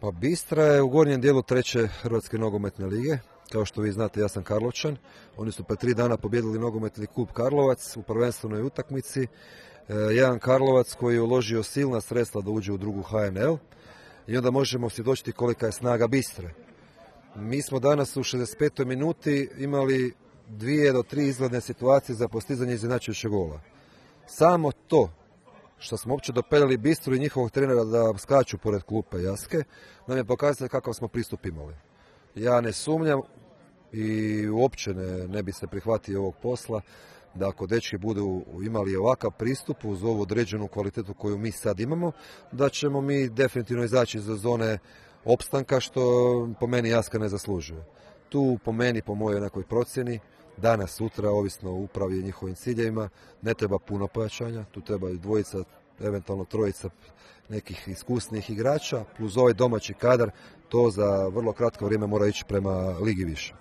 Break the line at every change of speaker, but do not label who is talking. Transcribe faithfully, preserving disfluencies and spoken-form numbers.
Pa Bistra je u gornjem dijelu treće Hrvatske nogometne lige. Kao što vi znate, ja sam Karlovčan. Oni su pre tri dana pobjedili nogometni klub Karlovac u prvenstvenoj utakmici. E, jedan Karlovac koji je uložio silna sredstva da uđe u drugu H N L. I onda možemo svjedočiti kolika je snaga Bistre. Mi smo danas u šezdeset petoj minuti imali dvije do tri izgledne situacije za postizanje izjednačujućeg gola. Samo to što smo uopće dopeljali Bistru i njihovog trenera da skaču pored klupe Jaske, nam je pokazalo kakav smo pristup imali. Ja ne sumnjam i uopće ne, ne bi se prihvatio ovog posla da ako dečki budu imali ovakav pristup uz ovu određenu kvalitetu koju mi sad imamo, da ćemo mi definitivno izaći iz zone opstanka, što po meni Jaska ne zaslužuje. Tu po meni, po mojoj nekoj procjeni, danas, sutra, ovisno o upravi i njihovim ciljevima, ne treba puno pojačanja, tu treba i dvojica, eventualno trojica nekih iskusnih igrača, plus ovaj domaći kadar, to za vrlo kratko vrijeme mora ići prema ligi više.